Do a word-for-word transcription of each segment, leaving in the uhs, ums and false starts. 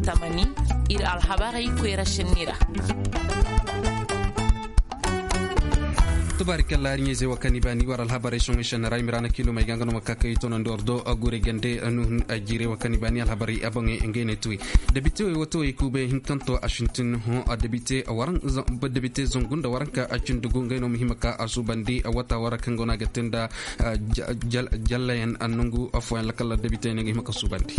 Tamani, ir alhabarey koyra šenni ra. Tubaari kalla ari ɲayzey wa kaŋ i baani war alhabarey soŋey šenni ra i ma ra na kiilumey ga nga no ma ka kay tonandi war do. Gure gande nuhun a jiirey wa kaŋ i baani alhabarey a boŋey ngey ne tuwey. Debitewey watawey kuubey hinkanto a sintin hõ. Debite zangu nda waranka a cindi gu ngey no ma hima ka a suubandi wata wara kaŋ go no a ga te nda jallayaŋ nongu fooyaŋ lakal debitey no nga hima ka suubandi.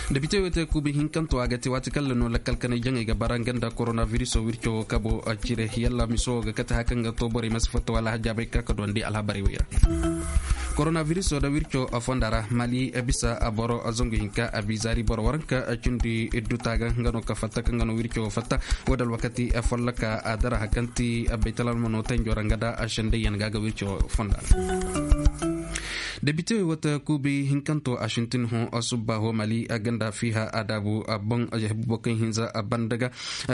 Debitey wo te kuubi hinkanto a ga te waati kaŋ ra no lakkal kanay jaŋey ga bara nga nda koronabiriso wirco kabo cire yalla miso wo ga kate haya kaŋ ga to borey ma si fatta wala hajjaabey ka ka duwandi alhabarey wey ra. Koronabiriso nda wirco fonda ra mali bisa boro zangu hinka a bi zaari boro waranka cindi idduta ga nga no ka fatta kaŋ ga no wirco fatta. Wo da alwakati folloka a dara haya kaŋ ti baytalalmano tanjo ra nga da a sendayyaŋ ga ga wirco fonda ra. Debitewey wata kuubi hinkanto a sintin hõ a subba hõ mali a ganda fiiha a daabu a boŋ a jahibu bokaŋ hinza a banda ga.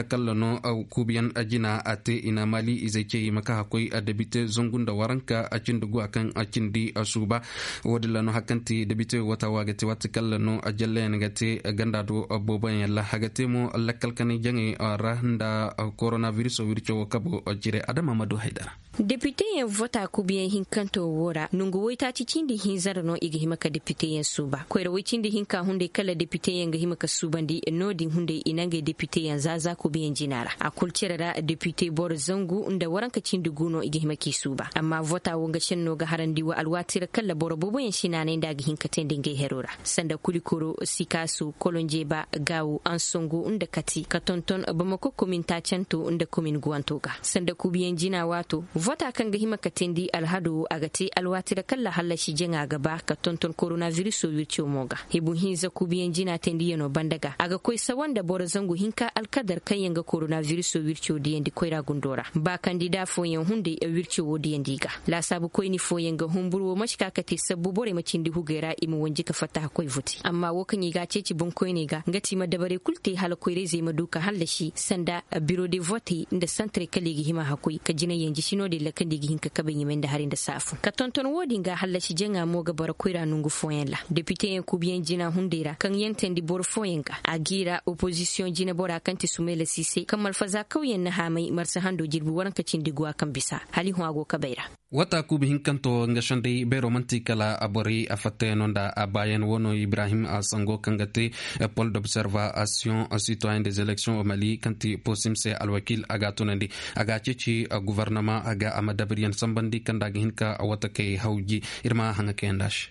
Kalla no kuubiyaŋ a jina a te i na mali izey cey i ma ka hakkoy a debite zangu nda waranka a cindi guwa kaŋ a cindi a suuba. Wo- din ra no haya kaŋ ti debitewey wata wo a ga te waati kalla no a jallayaŋ ga te ganda do booboyaŋ ra a ga te mo lakkal kanay jaŋey ra nda koronabiriso wirco wo kabo cire adama ma du haydara. Depiteyaŋ vota kubiyaŋ hinkanto wo ra nongu woytaaci cindi hinza ra no i ga hima ka depiteyaŋ suuba koyra woy cindi hinka hunday kala depiteyaŋ ga hima ka suubandi no-din hunday i na ngey depiteyaŋ za za kubiyaŋ jina ra a kul cere ra depite boro zangu nda waranka cindi gu no i ga hima k'i suuba amma vota wo nga senno ga harandi wa alwaati ra kala boro booboyaŋ si naanay nda a ga hin ka teendi ngey hero ra sanda kulikoro sikaasu kolonjeba gaawu ansongo nda kati ka tonton bamako komin taacanto nda komin guwanto ga sanda kuubiyaŋ jina waato vota kaŋ ga hima ka teendi alhado wo a ga te alwaati ra kala hallasi jaŋa ga ba ka tonton koronabiriso wirco mo ga hibu hinza kuubiyaŋ jina teendiyaŋo banda ga a ga koy sawa nda boro zangu hinka alkadar kaŋ yaŋ ga koronabiriso wirco diyandi koyra gundo ra ba kandida fooyaŋ hunday wirco wo diyandi i ga laasaabu koyni fooyaŋ ga humbur wo ma si ka ka te sabbu borey ma cindi hugey ra i ma wanji ka fattaha koy vote amma wo kaŋ i ga a ceeci boŋkoyney ga nga ti i ma dabarey kulu te hala koyra-izey ma du ka hallasi sanda biro de vote nda santarey kala i ga hima hakkoy ka jinay yaŋ jisi no-din ra kaŋ da i ga hin ka kabey ɲumay nda hari nda saafu ka tonton wo-din ga hallasi jaŋa mo ga bara koyra nongu fooyaŋ ra depiteyaŋ kuubiyaŋ jina hunday ra kaŋ yaŋ teendi boro fooyaŋ ga a g'i ra opozisiyoŋ jinebora kaŋ ti sumayla siisay kaŋ malfaza kawyaŋ na haamay marsa hando jirbi waranka cindi guwa kaŋ bisa hala i hõ a go kabey ra. Wata kuubi hinkanto nga senday beero man'ti kala a borey a fattayaŋo nda a baayaŋ wo no ibrahim a sango kaŋ ga te pol d'observation citoyen des élections o mali kaŋ ti posim se alwakiil a ga a tunandi a ga a ceeci guvarnama a ga a ma dabariyaŋ sambandi kaŋ nda a ga hin ka watakey hawji. Ir ma haŋa kayandi a se.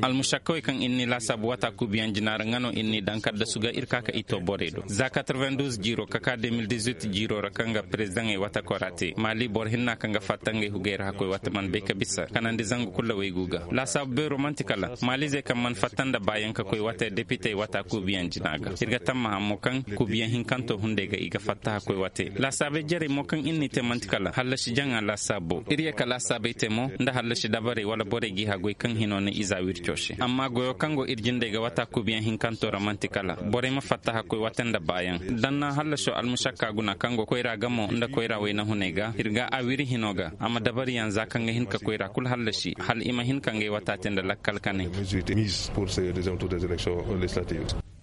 Almušakkawey kaŋ ir n'i laasaabu waata kuubiyaŋ jina ra nga no ir n'i daŋ kaddasu ga ir ka ka i too borey do za quatre-vingt-douze jiiro ka ka deux mille dix-huit jiiro ra kaŋ ga perezidaŋey watakoo ra te maali boro hinna kaŋ ga fatta ngey hugey ra hakkoy waata mana bay ka bisa kanandi zangu kulu ra waygu ga laasaabu beero man'ti kala maaliizey kaŋ mana fatta nda baayaŋ ka koy waata depitey waata kuubiyaŋ jina ga ir ga tammaha mo kaŋ kuubiyaŋ hinkanto hunday ga i ga fatta hakkoy waate laasaabey jarey mo kaŋ ir n'i te man'ti kala hallasi jaŋa laasaabo ir ye ka laasaabey te mo nda hallasi dabarey wala borey g'i haggoy kaŋ hino na iza wirco se amma goyo kaŋ go ir jindey ga wata kuubiyaŋ hinkanto ra man'ti kala borey ma fattaha koy wate nda baayaŋ danna hallasiyo almusakka guna kaŋ go koyra gamo nda koyra wayna hunay ga ir ga a wiri hino ga a ma dabariyaŋ za kaŋ ga hin ka koyra kulu hallasi hala i ma hin ka ngey wata te nda lakkal kanay.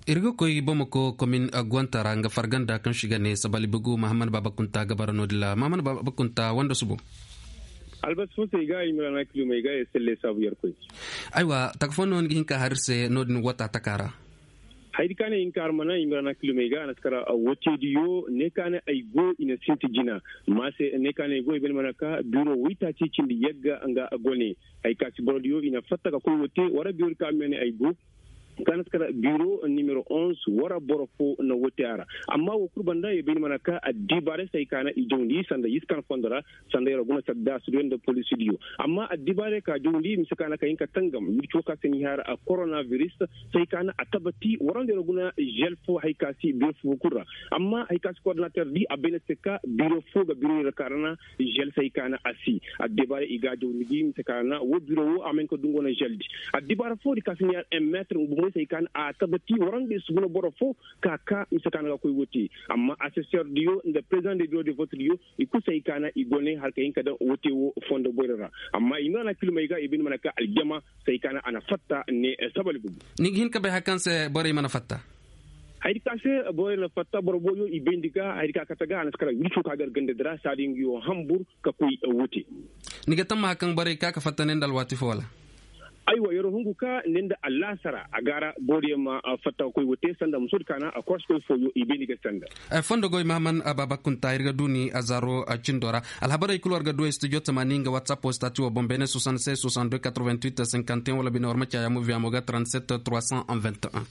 Ir ga koy bamako komin gwanta ra nga farganda kaŋ si ga ne sabali bugu mahammad baba kunta ga bara no-din ra mahammad baba kunta wanda subo. Albasi fo se i ga i ma ra na kilomey ga i selle saabu yarkoy. Aywa taka fo no ni ga hin ka har ir se no-din wata taka ra. Hayadi ka ne i hin ka har mana i ma ra na kilomey ga a na si kara woteediyo ne ka ne ay go i na sinti jina ma se ne ka ne ay go ay bane mana ka biro waytaaci cindi yagga nga gone. Hay ka si borodiyo i na fatta ka koy wote wara biro di ka me ne ay go. Ka na si kara biro nimero onze wara boro fo na wote a ra. Amma wo kulu banda ye bay ni mana ka addibaarey se hay ka na i jawndi sanda yiskan fondo ra sanda yara guna sadda suduyo nda polisidiyo. Amma addibaarey ka jawndi mise ka na ka hin ka tangam wirci wo ka se ni hara a koronabiris se hay ka na a tabati waranda yara guna žel fo hay ka si biro fo kulu ra. Amma hay ka si kordinater di a bay na se ka biro fo ga biro yara ka ra na žel se hay ka na a si. Addibaarey i ga a jawndi gi mise ka na wo biro wo a ma hin ka dungo na žel di. Addibaara fo di ka si ni hara un metre. Mise ka na a tabati warandi si guna boro fo ka ka mise ka na ga koy wote. Amma assesseur diyo nda président de bureau de vote diyo i kulu se hay ka na i gone har ka hin ka daŋ wote wo fondo boyra ra. Amma i mana kilmey ga i bine mana ka aljama se hay ka na a na fatta ne sabali bugu. Ni ga hin ka bay hari kaŋ se borey mana fatta? Hari ka se borey na fatta boro boyo i bayndi ga hari ka kate ga a na si kala wirco ka gar ganda dira saadi nga yo hambur ka koy wote. Ni ga tamma hari kaŋ borey ka ka fatta ne nda alwaati fo wala? Aywa yer hungu ka ne nda allaasara a ga ra booriyaŋ ma fatta ka koy wote sanda musoodi ka na a koosikoy fooyo i bay ni ga sanda. Fondo goy mahaman baaba kunta ir ga du ni a zaaro cindo ra. Alhabarey kulu war ga du ay studio tamaani nga whatsapp wo stati wo boŋ beene soixante-seize soixante-deux quatre-vingt-huit cinquante et un wala bine war ma caayaa mo viya mo ga trente-sept trois cent vingt et un.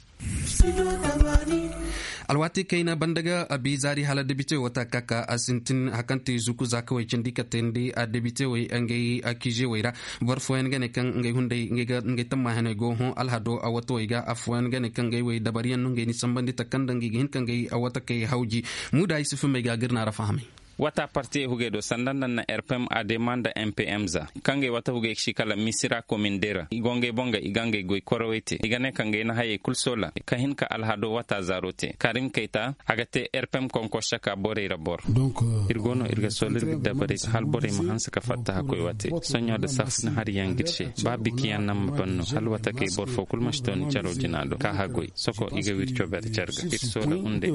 Alwaati kayna banda ga a bi zaari hala debite wata kaka a sintin hari kaŋ te zuku zaakawey cindi ka teendi a debite wey ngey kiize wey ra. Boro fooyaŋ ga ne kaŋ ngey hunday ngey tamma heney go hõ alhado a watawey ga afooyaŋ ga ne kaŋ ngey wey dabariyaŋ no ngey ni sambandi taka nda ngey ga hin ka ngey a watakey hawji. Muuda ay si fumey ga ga ir na ra fahamay. Wata partiyey hugey do sanda nda na r p m a d m a nda m p m za kaŋ ga ay wata hugey si kala misira komin dera i go ngey boŋ ga i ga ngey goy korawey te i ga ne ka ngey na hayey kulu soola ka hin ka alhado wata zaaro te karim kayta a ga te r p m konko saka borey ra boro. Ir go no ir ga soola ir ga dabarey se hala borey ma hanse ka fatta hakkoy wate soɲo nda saafuna hariyaŋ ga ir se ba bikiyaŋ naŋ ma ban no hala wata kay boro fo kulu ma si to ni caro jina do ka hagoy soko i ga wirco bere carga ir soola hunday.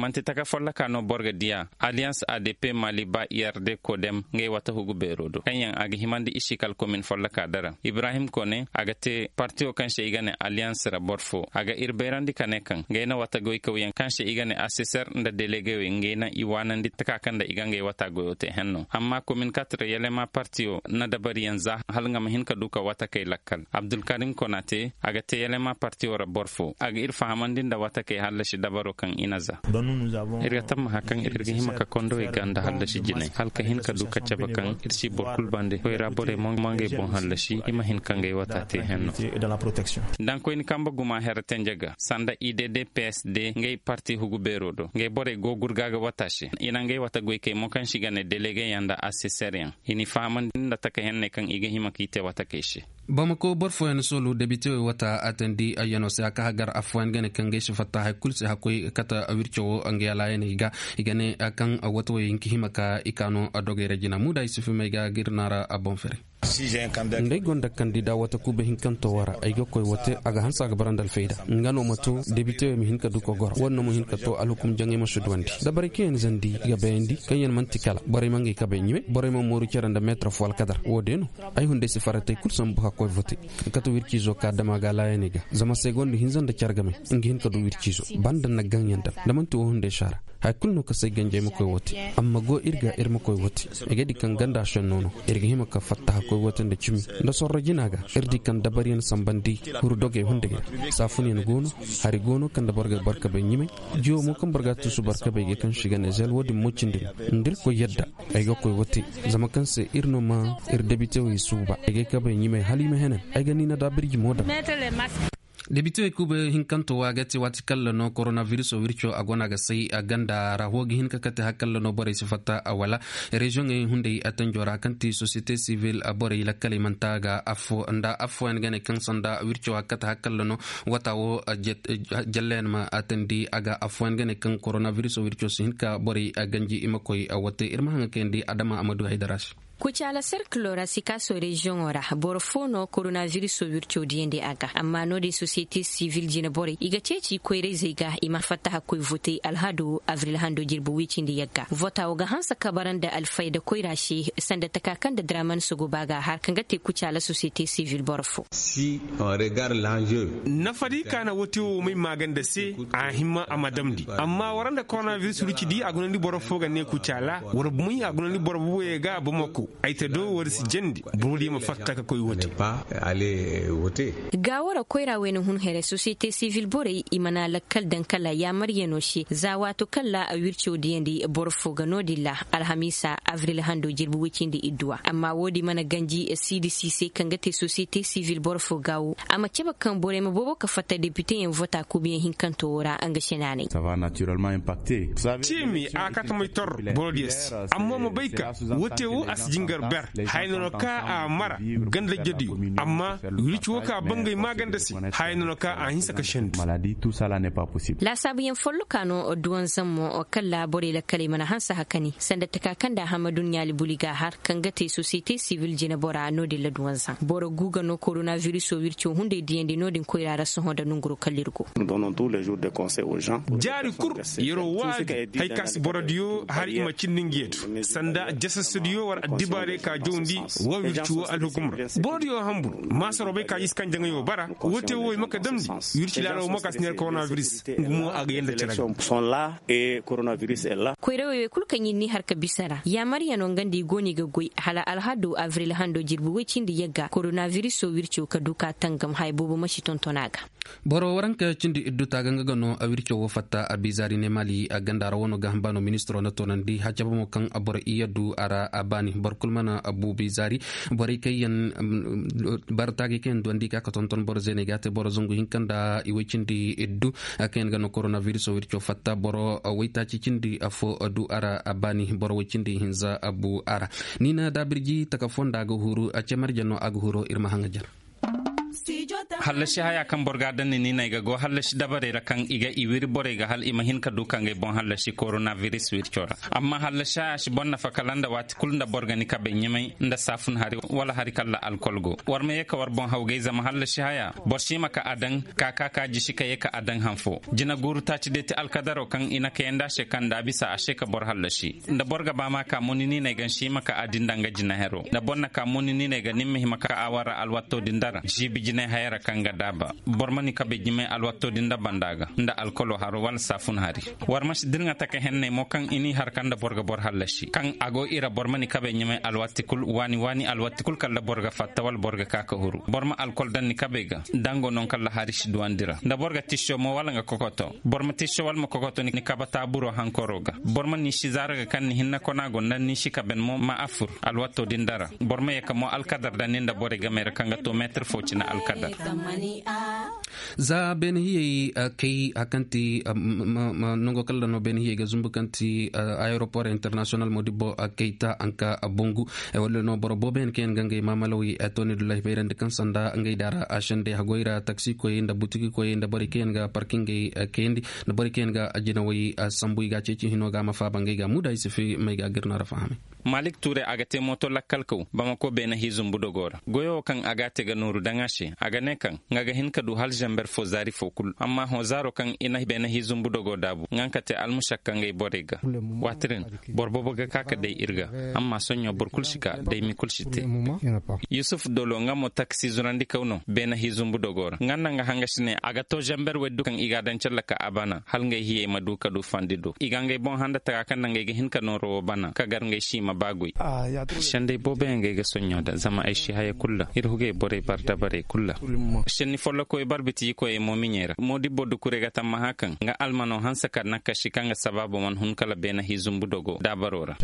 Manti taka folloka no boro ga diya alliance a d p mali ba i r d kodem ngey wata hugu beero do kaŋ yaŋ a ga himandi i si kala komin folloka dara ibrahim kone a ga te partiyo kaŋ se i ga ne alliance ra boro fo a ga ir bayrandi ka ne kaŋ ngey na wata goykawyaŋ kaŋ se i ga ne assesseur nda delegewey ngey na i waanandi taka kaŋ nda i ga ngey wata goyo te henno amma komin katre yalema partiyo na dabariyaŋ za hala nga ma hin ka du ka wata kay lakkal abdulkarim kona te a ga te yalema partiyo ra boro fo a ga ir fahamandi nda wata kay hallasi dabaro kaŋ i na za. Ir ga tammaha kaŋ ir ga hima ka kondowey ga nda hallasi jinay hala ka hin ka du ka cabe kaŋ ir si boro kulu bande koyra borey mo ngey boŋ hallasi i ma hin ka ngey wata te henno. Dankoyni kambe guma here tenje ga sanda i d d p s d ngey parti hugu beero do ngey borey go gurga ga wata se i na ngey wata goykey mo kaŋ si ga ne delegeyaŋ nda assesseryaŋ i n'i fahamandi nda taka henney kaŋ i ga hima k'i te wata kay se. Bamako boro fooyaŋ soolu debitewey wata a teendi ayyano se a ka hagar affooyaŋ ga ne kaŋ gay si fatta hay kulu se hakkoy kate wirco wo nga yalaayaney ga i ga ne kaŋ watawey hinka hima ka i kaano dogey ra jina muuda i si fimey ga ga ir naara a boŋ fere. Nda ay gonda kandida wata kuuba hinkanto wo ra ay ga koy wote a ga hanse a ga bara nda alfayda nga no ma to debitewey ma hin ka du ka goro wo- din no ma hin ka to alhukum jaŋay ma si duwandi dabarey kaŋ yaŋ zandi ga bayandi kaŋ yaŋ man'ti kala borey ma ngey kabey ɲimay borey ma mooru cere nda meetar fo alkadar wo- din no. Ay hunday si faratey kulu sambu hakkoy vote kate wirciizo ka dama ga alaayaney ga zama segonda hinza nda care game nga hin ka du wirciizo banda na gaŋ yaŋ daŋ da man'ti wo hunday saara. Hay kulu no ka se ganjey ma koy wote amma go ir ga ir ma koy wote. Ay ga di kaŋ ganda senno no ir ga hima ka fatta hakkoy wote nda cimi nda sorro jina ga ir di kaŋ dabariyaŋ sambandi huru dogey hunday ra. Saafunyaŋ go no hari go no kaŋ nda boro ga barkabey ɲimay jiwo mo kaŋ boro ga tuusu barkabey ga kaŋ si ga ne zel wo- din mo cindi no nda ir koy yadda. Ay ga koy wote zama kaŋ se ir no ma ir debitewey suuba ay ga ay kabey ɲimay hala i ma henen. Ay ga ni na da birji mo daŋ. Debitewey kuuba hinkanto wo a ga te waati kalla no koronabiriso wirco a go no a ga say a ganda ra wo ga hin ka kate hari kalla no borey si fatta a wala reziyoŋey hunday a tanjo ra kaŋ ti sosiyete sivil borey lakkaley man'ta ga affo nda affooyaŋ ga ne kaŋ sanda wirco a ga kate hari kalla no wata wo. Jallayaŋ ma a teendi a ga affooyaŋ ga ne kaŋ koronabiriso wirco si hin ka borey ganji i ma koy a wote ir ma haŋa kayandi adama amadu haydara se. Kucaala serkilo ra sikaaso reziyoŋo ra boro fo no koronabiriso wirco diyandi a ga amma no-din sosiyete sivil jine borey i ga ceeci koyrayzey ga i ma fatta hakkoy votey alhado abril hando jirbi wicindi yagga vota wo ga hanse ka bara nda alfayda koyra se sanda taka kaŋ nda draman sogoba ga har kaŋ ga te kucaala sosiyete sivil boro fo. Nafadi ka na wote wo may maaganda se a hima a ma damndi amma wara nda koronabiris ruci di a gunandi boro fo ga ne kucaala war bumay a gunandi boro buboyey ga bamako ay te do war si jandi boro di ma fatta ka koy wote. Gaawara koyra wayna hun here sosiyete sivil borey i mana lakkal daŋ kala yaamaryanoo se za waato kaŋ ra a wirco diyandi boro fo ga no-din ra alhamiisa abril hando jirbi wicindi idduwa amma wo-din mana ganji siidi si se kaŋ ga te sosiyete sivil boro fo gaawo a ma cabe kaŋ borey ma boobo ka fatta depiteyaŋ vota kuubiyaŋ hinkanto wo ra nga se naanay. Ceemi a ka tamay tor boro diya se amma ma bay ka wote wo a si Nga ber haya no no ka a mara ganda jadiyo. Amma wirci wo ka bangay maaganda se haya no no ka a hinsa ka sendu. Laasaabuyaŋ folloka no duwanzaŋ mo kalla borey lakkaley mana hanse hakani sanda taka kaŋ da hamadu ɲaali buli ga har kaŋ ga te sosiyete sibil jinebora no- din la duwanzaŋ boro gu ga no koronabiriso wirco hunday diyandi no- din koyra ra sohõ nda nonguro kalla ir go. Jaari kul, yer'o waadi hari ka si borodiyo har i ma cindi ngi yeetu sanda jasasadiyo war addibaarey ka jawndi. Wa wirci wo alhukumra borodiyo hanbur maasaroo bay ka i si kaŋ jaŋayoo bara. Woo te wo i ma ka damndi wirci laala wo ma ka si neera koronabiris. Nga mo a ga yee nda cere ga. Koyrawey wey kul kaŋ ir n'i har ka bisa ra yaamaryanoo nga nda i go no i ga goy hala alhado abril hando jirbi woy cindi yagga koronabiriso wirco ka du ka tangam haya boobo ma si tonton a ga. Boro waranka cindi iddu taaga nga ga no a wirco wo fatta a bizaari ne maali a ganda ra wano ga hamba no ministiro na toonandi hacaba mo kaŋ a boro iyya du a ra a baani boro kul mana a bu bizaari. Borey kaŋ yaŋ bara taagay kaŋ yaŋ duwandi ka ka tonton boro zeeney ga a te boro zangu hinka nda i woy cindi iddu kaŋ yaŋ ga no koronabiriso wirco fatta boro woytaaci cindi affo du a ra a baani boro woy cindi hinza a bu a ra. Ni na daabirji taka fo nda a ga huru a ce marje no a ga huro ir ma haŋ a jana. Hallasi haya kaŋ boro ga a daŋ ni niinay ga go hallasi dabarey ra kaŋ i ga i wiri borey ga hala i ma hin ka du ka ngey boŋ hallasi koronabiris wirco ra. Amma hallasi haya si boro nafa kala nda waati kul nda boro ga ni kabey ɲumay nda saafun hari wala hari kalla alkol go war ma ye ka war boŋ hawgay zama hallasi haya boro si ma ka a daŋ ka ka ka jisi ka ye ka a daŋ hanfo. Jina guuru taaci day ti alkadaro kaŋ i na kayandi a se kaŋ nda a bisa a se ka boro hallasi nda boro ga ba ma ka mo ni niinay ga ni si ma ka a di nda nga jina hero nda boro na ka mo ni niinay ga ni ma hima ka a war ra alwatto din dara jiibi jinay haya ra kaŋ ga daaba. Boro ma ni kabe jimay alwatto din nda banda ga nda alkolo haro wala saafun hari. War ma si dirŋa taka henney mo kaŋ i n'i har kaŋ nda boro ga boro hallasi kaŋ a go i ra boro ma ni kabe jimay alwatti kul waani waani alwatti kul kala nda boro ga fatta wala boro ga ka ka huru boro ma alkol daŋ ni kabe ga dango non kala hari si duwandi ra nda boro ga tisso mo wala nga kokoto. Boro ma tisso wala ma kokoto ni kaba taaburo hankoro ga. Boro ma ni si zaara ga kaŋ ni hinna kona go nda ni si kaben mo ma a fur alwatto din dara. Boro ma ye ka mo alkadar daŋ ni nda borey gamey ra kaŋ ga to meetir fo cine alkadar. Za beene hiyey kay a kaŋ ti nango kala no beene hiyey ga zumbu kaŋ ti ayeropor internasiyonal modibbo kay ta anka bongu. Walla no boro boobo yaŋ kaŋ yaŋ ga ngey maamalawey tooni dullahi bayrandi kaŋ sanda ngey daara a sendey hagoy ra taksikoyey nda butikikoyey nda borey kaŋ yaŋ ga parkingey kayandi nda borey kaŋ yaŋ ga jinawey sambu i ga a ceeci hino ga a ma faaba ngey ga muuda i si fi may ga a ga ir no ra fahamay. Malik ture a ga te mooto lakkalkaw bamako beene hii zumbu dogo ra goyo wo kaŋ a ga a te ga nooru daŋ a se a ga ne kaŋ nga ga hin ka du hala zamber fo zaari fo kul amma hõ zaaro kaŋ i na beene hii zumbu dogo daabu nga nga ka te almusak ka ngey borey ga. Waati din boro boobo ga ka ka day ir ga amma soɲõ boro kul si ka daymi kul si te. Yusuf dolo nga mo taksi zurandikaw no beene hii zumbu dogo ra nga nda nga hanga si ne a ga to zamber wey du kaŋ i ga a daŋ calla ka a bana hala ngey hiyey ma du ka du fandi do i ga ngey boŋ handa taga kaŋ nda ngey ga hin ka nooro wo bana ka gar ngey si ma ba goy. Sendey boobo yaŋ ga ay ga soɲɲo da zama ay si haya kul ra ir hugey borey bar dabarey kul ra. Senni follokoy bar bitijikoyey mo miɲey ra moodibbo dukurey ga tammaha kaŋ nga almano hanse ka nakkasi kaŋ ga sabaabo mana hun kala beena hii zumbu dogo daabaro ra.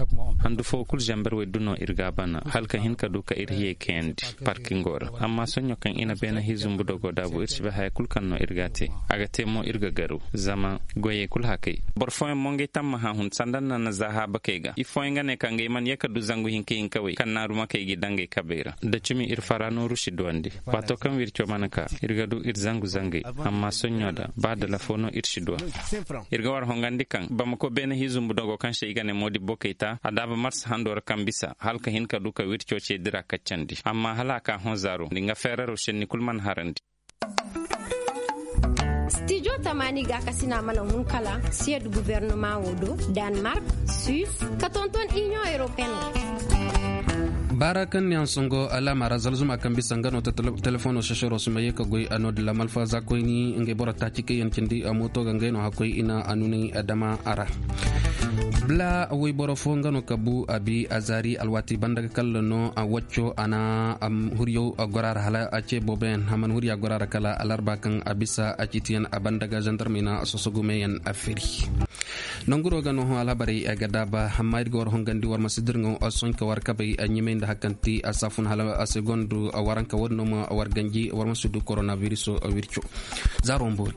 Handu foo kul zamber wey du no ir ga a bana hala ka hin ka du ka ir hiyey kayandi parkingo ra. Amma soɲɲo kaŋ i na beena hii zumbu dogo daabu ir si bay haya kul kaŋ no ir ga a te. A ga te mo ir ga garu zama goyey kul hakay. Boro fooyaŋ mo ngey tammaha hun sanda nda na zaaha bakey ga i fooyaŋ ga ne ka ngey mana ye ka du zangu hinka hinkawey kaŋ naaru makey ga i daŋ ngey kabey ra da cimi ir fara nooru si duwandi. Waato kaŋ wirco mana ka ir ga du ir zangu zangey. Amma soɲɲo da ba dala foo no ir si duwa. Ir ga war hongandi kaŋ bamako beene hii zumbu dogo kaŋ se i ga ne moodibbo kay ta a daaba marsa hando ra kaŋ bisa hala ka hin ka du ka wirco ce dira kaccandi amma hala a ka hõ zaaro nda nga feeraro senni kul mana harandi. Stijo tamaani gaakasina mana hun kala siyad gubernama wo do, danmark, suis, ka tonton inion europeen wo. Baara kaŋ ni yaŋ songo alaama ra zalzuma kaŋ bisa nga no ta telefono sesero si ma ye ka goy a no dila malfa za koyni ngey boro taaci kaŋ yaŋ cindi mooto ga ngey no hakkoy i na a nunay dama a ra. Bla woyboro fo nga no ka bu a bi a zaari alwaati banda ga kalla no a wacco a na huryaw gora ra hala a ce booboyaŋ a mana hurya gora ra kala alarba kaŋ a bisa a ciitiyaŋ a banda ga zandarmey na sosogumeyaŋ a firi. Nanguro ga no hõ alhabarey ga daaba amma ir ga war hongandi war ma si dirŋaw sohõ ka war kabey ɲimay nda hakanti a saafun hala a segondu waranka war no ma war ganji war ma si du koronabiriso wirco. Zaaro mboori.